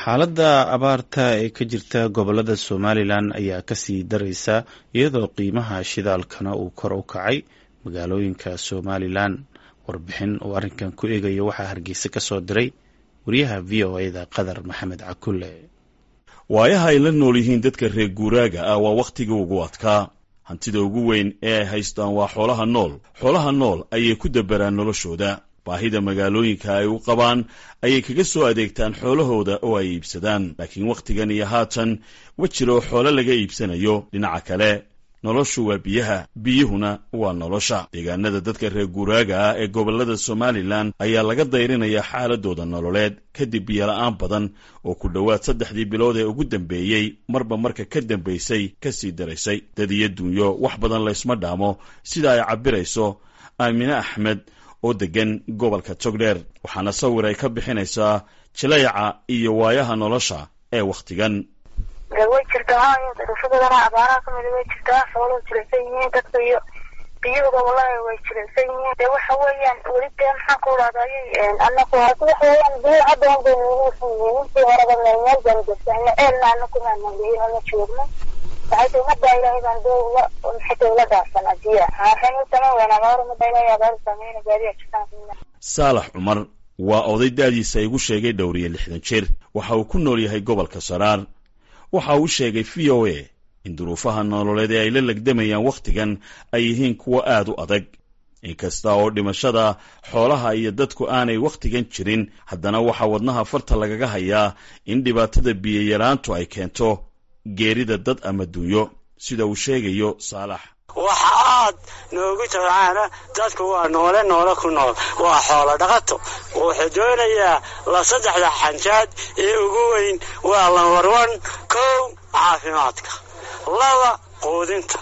Xaaladda abaarta ee ka jirta gobolada Somalilan ayaa kasii daraysa, iyadoo qiimaha shidaalkana uu kor u kacay magaalooyinka Somalilan. Warbixin uu arrinkan ku eegayo waxaa Hargeysa ka soo diray wariyaha VOA-da, Qadar Maxamed Cakulle. Waayaha ay la nool yihiin dadka reer guuraaga ah waa wakhtigii ugu adkaa. Hantida ugu weyn ee ay haystaan waa xoolaha nool. Xoolaha nool ayay ku dabaraan noloshooda. Baahida magaalooyinka ay u qabaan ayay kaga soo adeegtaan xoolahooda oo ay iibsadaan, laakiin wakhtigan iyo haatan ma jiro xoolo laga iibsanayo. Dhinaca kale, noloshu waa biyaha, biyuhuna waa nolosha. Deegaanada dadka reer guuraaga ah ee gobollada Somalilan ayaa laga dayrinayaa xaaladooda nololeed kadib biyola'aan badan oo ku dhowaad 3dii bilood ee ugu dambeeyey marba marka ka dambaysay kasii daraysay. Dad iyo dunyo wax badan laysma dhaamo, sida ay cabbirayso Aamine Axmed oo deggan gobolka Togdheer. Waxaana sawir ay ka bixinaysaa jilayca iyo waayaha nolosha ee wakhtigan. Way jirtaa hayo, duruufadadana abaaraha kamida way jirtaa. Xooluhu jilicsan yihiin, dadka iyo biyuhuba wallahi way jilicsan yihiin. Dee waxa weeyaan weli dee maxaan ku idhahdayay, anaku waxa weeyaan biyo hadda un bay noogu yihiin. Intii horeba meel meel baanu joogsanay, ceelna anaku maanaan lihin oo ma joogno. Waxay tahay ummadda Ilaahay baan dee ula maxay ula dhaafsanaa biyaha. Waxaynu samayn weynaa abaar, ummadda Ilaahay abaar saameyna, baadiya jirtaan. Saalax Cumar waa oday da'diisa igu sheegay dhowr iyo 60 jir. Waxa uu ku nool yahay gobolka Saraar. Waxa uu sheegay VOA in duruufaha nololeed ee ay la legdamayaan wakhtigan ay yihiin kuwo aad u adag. Inkasta oo dhimashada xoolaha iyo dadku aanay wakhtigan jirin, haddana waxaa wadnaha farta lagaga hayaa in dhibaatada biyoyaraantu ay keento geerida dad ama dunyo, sida uu sheegayo Saalax. Waxa aad noogu tabcaana, dadku waa noole, noole ku nool waa xoolo dhaqato. Wuxuu doonayaa la saddexda xanjaad ee ugu weyn waa lambar 1: 1, caafimaadka; 2, quudinta.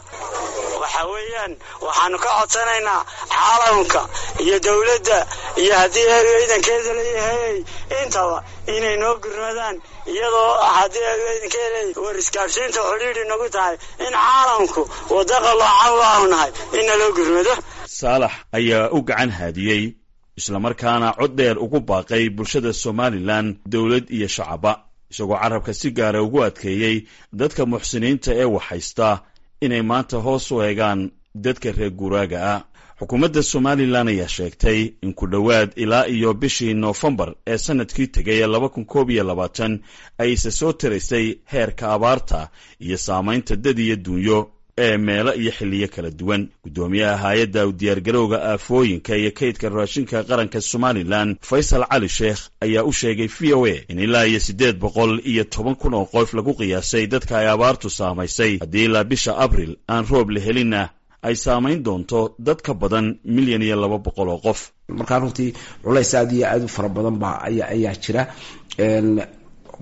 Waxa weeyaan waxaanu ka codsanaynaa caalamka iyo dawladda iyo haddii ciidankeeda leeyahay intaba inay noo gurmadaan, iyadoo haddii ciidankeeda war isgaadhsiinta xidhiidhi nagu tahay, in caalamku waddo qaloocan waanu nahay in naloo gurmado. Saalax ayaa u gacan haadiyey islamarkaana cod dheer ugu baaqay bulshada Somalilan, dowlad iyo shacaba, isagoo carabka si gaara ugu adkeeyey dadka muxsiniinta ee waxhaysta inay maanta hoos u eegaan dadka reer guuraaga ah. Xukuumadda Somalilan ayaa sheegtay in ku dhowaad ilaa iyo bishii Noofembar ee sanadkii tegay ee 2021 ay isa soo taraysay heerka abaarta iyo saamaynta dad iyo dunyo ee meelo iyo xilliyo kala duwan. Guddoomiyaha hay-adda u diyaargarowga aafooyinka iyo kaydka raashinka qaranka Somalilan, Faysal Cali Sheekh, ayaa u sheegay VOA in ilaa iyo 810,000 oo qof lagu qiyaasay dadka ay abaartu saamaysay. Haddii ilaa bisha Abril aan roob la helinna, ay saamayn doonto dad ka badan 1,200,000 oo qof. Markaa runtii culays aad iyo aad u fara badan baa ayaa jira.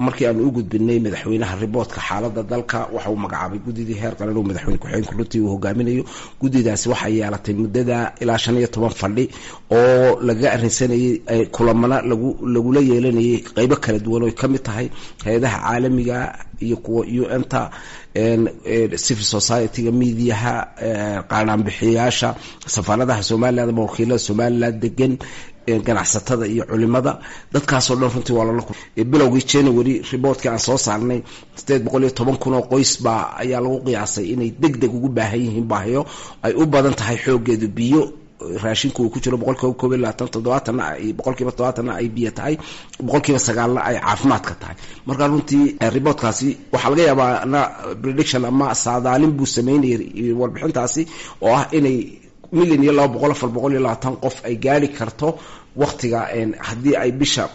Markii aanu u gudbinay madaxweynaha reportka xaaladda dalka, waxa uu magacaabay guddidii heer qaran oo madaxweyne ku-xigeenku runtii uu hogaaminayo. Guddidaasi waxay yeelatay muddada ilaa 15 fadhi oo lagaga arrinsanayay, kulamana lagu lagula yeelanayay qeybo kala duwan oo ka mid tahay hay-adaha caalamiga iyo kuwa UN-ta, civil society-ga, mediaha, qaanaanbixiyayaasha, safaaradaha Somaliland ama wakiilada Somaliland degan, ganacsatada iyo culimada. Dadkaasoo dhan runtii waa lala. Bilowgii January reportkii aan soo saarnay, 810,000 oo qoys baa ayaa lagu qiyaasay inay deg deg ugu baahan yihiin baahiyo ay u badan tahay xoogeedu biyo, raashinku uu ku jiro 21%, 70-na ay 70%-na ay biyo tahay, 9%-na ay caafimaadka tahay. Marka runtii reportkaasi waxaa laga yaabaa na prediction ama saadaalin buu sameynayay warbixintaasi oo ah inay 1,200,000, 420 qof ay gaari karto waktiga, haddii ay bisha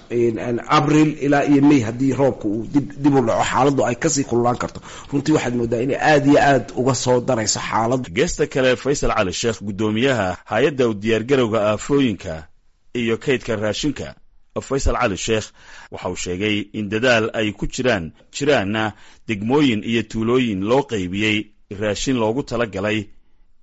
Abril ilaa iyo May haddii roobka uu dib u dhaco, xaaladdu ay kasii kululaan karto. Runtii waxaad moodaa inay aada iyo aad uga soo darayso xaaladdu. Geesta kale, Faysal Cali Sheekh, guddoomiyaha hay-adda u diyaargarowga aafooyinka iyo kaydka raashinka, Faysal Cali Sheekh, waxa uu sheegay in dadaal ay ku jiraan, jiraanna degmooyin iyo tuulooyin loo qaybiyey raashin loogu tala galay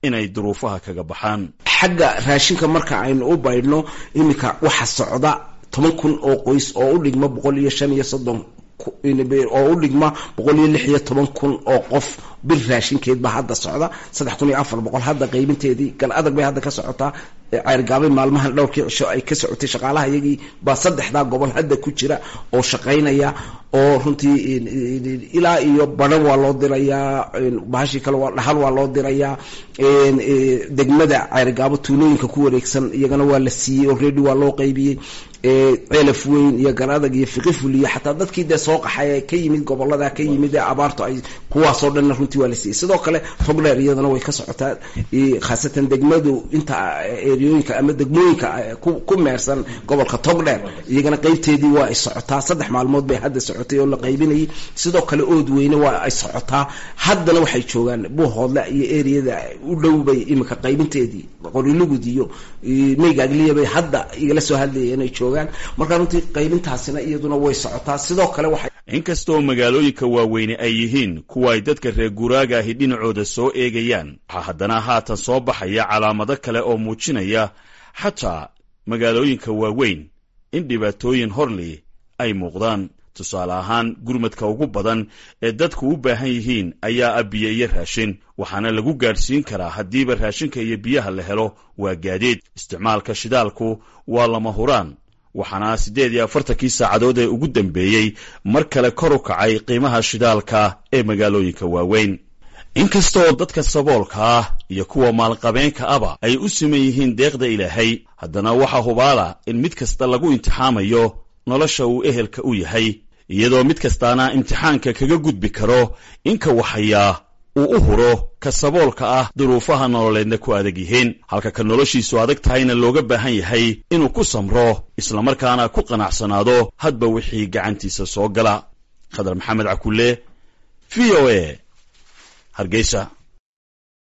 inay duruufaha kaga baxaan. Xagga raashinka marka aynu u baydhno, iminka waxa socda 10,000 oo qoys oo u dhigma 135, oo u dhigma 116,000 oo qof. Bil raashinkeed baa hadda socda, 3400 hadda qaybinteedii Gal Adag bay hadda ka socotaa. Ceergaabay maalmahan dhowrkii cisho ay ka socotay. Shaqaalaha iyagii baa saddexdaa gobol hadda ku jira oo shaqaynaya, oo runtii ilaa iyo Badhan waa loo dirayaa, bahashii kale waa Dhahal waa loo dirayaa. Degmada Ceergaabo tuulooyinka ku wareegsan iyagana waa la siiyey, already waa loo qaybiyey. Ceelaf Weyn iyo Garadag iyo Fiqiful iyo xataa dadkii dee soo qaxay ee ka yimid gobolada ka yimid ee abaartu ay, kuwaasoo dhanna runtii waa la siiyey. Sidoo kale Togdheer iyadana way ka socotaa, khaasatan degmadu inta eriyooyinka ama degmooyinka ku meersan gobolka Togdheer, iyagana qaybteedii waa ay socotaa. 3 maalmood bay hadda socotay oo la qaybinayay. Sidoo kale Ood Weyne waa ay socotaa, haddana waxay joogaan Buuhoodle iyo eriyada u dhow bay iminka qaybinteedii, Qorilugud iyo Meygaagliya bay hadda igala soo hadlayeen inay joogaan. Marka runtii qaybintaasina iyaduna way socotaa. Sidoo kale waxay Inkastoo magaalooyinka waaweyne ay yihiin kuwa ay dadka reer guuraaga ahi dhinacooda soo eegayaan, waxaa haddana haatan soo baxaya calaamado kale oo muujinaya xataa magaalooyinka waaweyn in dhibaatooyin horli ay muuqdaan. Tusaale ahaan, gurmadka ugu badan ee dadku u baahan yihiin ayaa ah biyo iyo raashin, waxaana lagu gaadhsiin karaa haddiiba raashinka iyo biyaha la helo waa gaadiid. Isticmaalka shidaalku waa lama huraan, waxaana 48-kii saacadood ee ugu dambeeyey mar kale kor u kacay qiimaha shidaalka ee magaalooyinka waaweyn. Inkasta oo dadka saboolka ah iyo kuwa maalqabeenka aba ay u siman yihiin deeqda Ilaahay, haddana waxaa hubaala in mid kasta lagu imtixaamayo nolosha uu ehelka u yahay, iyadoo mid kastaana imtixaanka kaga gudbi karo inka waxayaa uu u huro ka saboolka ah duruufaha nololeedna ku adag yihiin, halka ka noloshiisu adag tahayna looga baahan yahay inuu ku samro islamarkaana ku qanacsanaado hadba wixii gacantiisa soo gala. Khadar Maxamed Cakulle, VOA, Hargeysa.